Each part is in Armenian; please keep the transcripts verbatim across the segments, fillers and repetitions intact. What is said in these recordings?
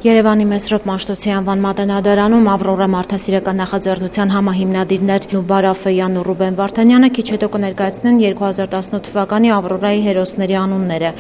Երևանի Մեսրոպ Մաշտոցի անվան մատենադարանում Ավրորա մարդասիրական նախաձեռնության համահիմնադիրներ Նուբար Աֆեյանն ու Ռուբեն Վարդանյանը քիչ հետո կներկայացնեն երկու հազար տասնութ թվականի Ավրորայի հերոսների անունները։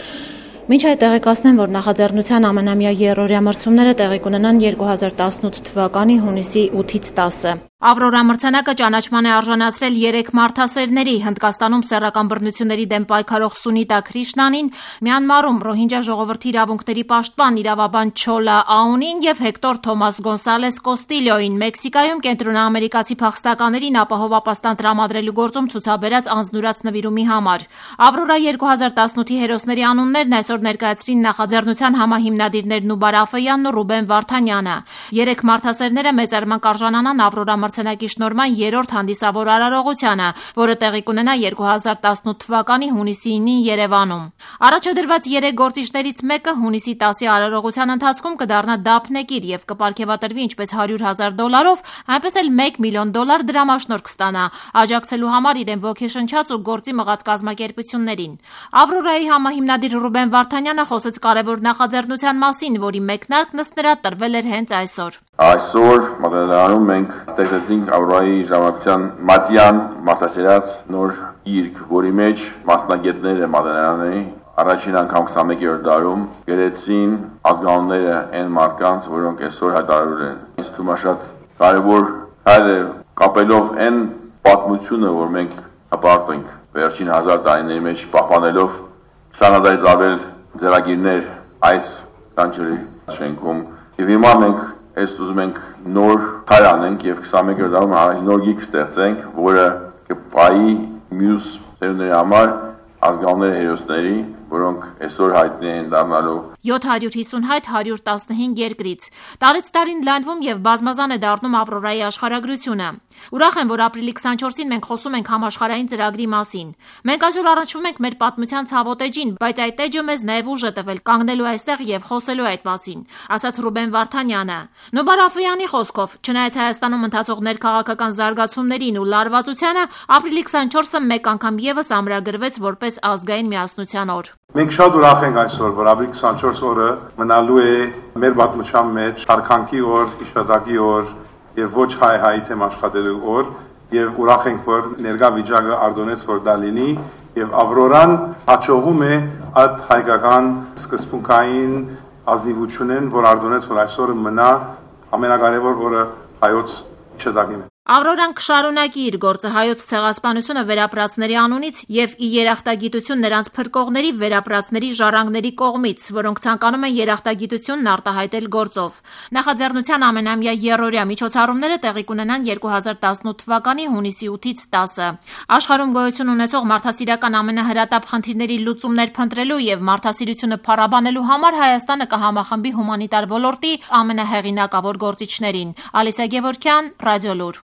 Մինչ այդ տեղեկացնեմ, որ նախաձեռնության ամենամյա եռօրյա մրցումները տեղի կունենան երկու հազար տասնութ թվականի հունիսի ութից տասը։ Ավրորա մրցանակը ճանաչման է արժանացրել երեք մարդասերների՝ Հնդկաստանում սեռական բռնությունների դեմ պայքարող Սունիտա Քրիշնանին, Մյանմարում ռոհինջա ժողովրդի իրավունքների պաշտպան իրավաբան Չոլա Աունին եւ Հեկտոր Թոմաս Գոնսալես Կոստիլյոին, Մեքսիկայում կենտրոնաամերիկացի փախստականերին ապահով ապաստան տրամադրելու գործում ցուցաբերած անձնուրաց նվիրումի համար։ Ավրորա երկու հազար տասնութի հերոսների անուններն այսօր ներկայացրին նախաձեռնության համահիմնադիրներ Նուբար Աֆեյանն ու Ռուբեն Վարդանյանը։ Երեք մարդասերները մեծարման կարժանանան Ավրորա մրցանակի շնորհման երրորդ հանդիսավոր արարողությանը, որը տեղի կունենա երկու հազար տասնութ թվականի հունիսի ինին Երևանում։ Առաջադրված երեք գործիչներից մեկը հունիսի տասի արարողության ընթացքում կդառնա դափնեկիր եւ կպարգեւատրվի ինչպես հարյուր հազար դոլարով, այնպես էլ մեկ միլիոն դոլար դրամաշնորհ կստանա, աջակցելու համար իրեն ոգեշնչած ու գործի մղած կազմակերպություններին։ Ավրորայի համահիմնադիր Ռուբեն Վարդանյանը խոսեց կարևոր նախաձեռնության մասին, որի մեկնարկն ըստ նրա տրվել էր հենց այսօր։ Այսօր մատենադարանում մենք ստեղծեցինք Ավրորայի ժամանակության մատյան մարդասիրած նոր գիրք, որի մեջ մասնագետները մատենադարանի առաջին անգամ քսանմեկերորդ դարում գրեցին ազգանունները այն մարդկանց, որոնք այսօր հայտարարվել են։ Ինձ թվում է շատ կարևոր հայր է կապելով այն պատմությունը, որ մենք հպարտենք վերջին հազար տարիների մեջ պահպանելով քսան հազարից ավել ձեռագիրներ այս կանչերի շենքում։ Եվ հիմա մենք Այս ուզում ենք նոր հայր անենք եւ քսանմեկերորդ դարում նոր գիրք ստեղծենք, որը կպայի մյուս ծերունների համար ազգանունների հերոսների, որոնք այսօր հայտնի են դառնալու յոթ հարյուր հիսունհայտ հարյուր տասնհինգ երկրից։ Տարեց տարին լայնվում եւ բազմազան է դառնում Ավրորայի աշխարհագրությունը։ Ուրախ եմ, որ ապրիլի քսանչորսին մենք խոսում ենք համաշխարհային ծրագրի մասին։ Մենք այսօր առնչվում ենք մեր պատմության ցավոտ էջին, բայց այդ էջը մեզ նաեւ ուժ է տվել կանգնելու այստեղ եւ խոսելու այդ մասին, ասաց Ռուբեն Վարդանյանը։ Նուբար Աֆեյանի խոսքով, չնայած Հայաստանում ընթացող ներքաղաքական զարգացումներին ու լարվածությանը, ապրիլի քսանչորսը մեկ անգամ եւս ամրագրվեց որպես ազգային միասնության օր։ Մենք շատ ուրախ ենք այսօր, որ ապրիլի քսանչորս օրը մնալու է մեր պատմության մեջ հարկանքի օր, իշադակի օր եւ ոչ հայ հայի թեմ աշխատելու օր, եւ ուրախ ենք, որ ներկա վիճակը արդոնեց, որ դա լինի, եւ Ավրորան հաջողում է այդ հայկական սկզբունքային ազնիվությունն, որ արդոնեց, որ այսօրը մնա ամենակարևոր, որը հայոց իշադակին է։ Ավրորան կշարունակի իր գործը հայոց ցեղասպանությունը վերապրածների անունից եւ ի երախտագիտություն նրանց փրկողների վերապրածների ժառանգների կողմից, որոնք ցանկանում են երախտագիտությունն արտահայտել գործով։ Նախաձեռնության ամենամյա եռօրյա միջոցառումները տեղի կունենան երկու հազար տասնութ թվականի հունիսի ութից տասը։ Աշխարհում գոյություն ունեցող մարդասիրական ամենահրատապ խնդիրների լուծումներ փնտրելու եւ մարդասիրությունը փառաբանելու համար Հայաստանը կհամախմբի հումանիտար ոլորտի ամենահեղինակավոր գործիչներին։ Ալիսա Գևորգյան, Ռադիոլուր։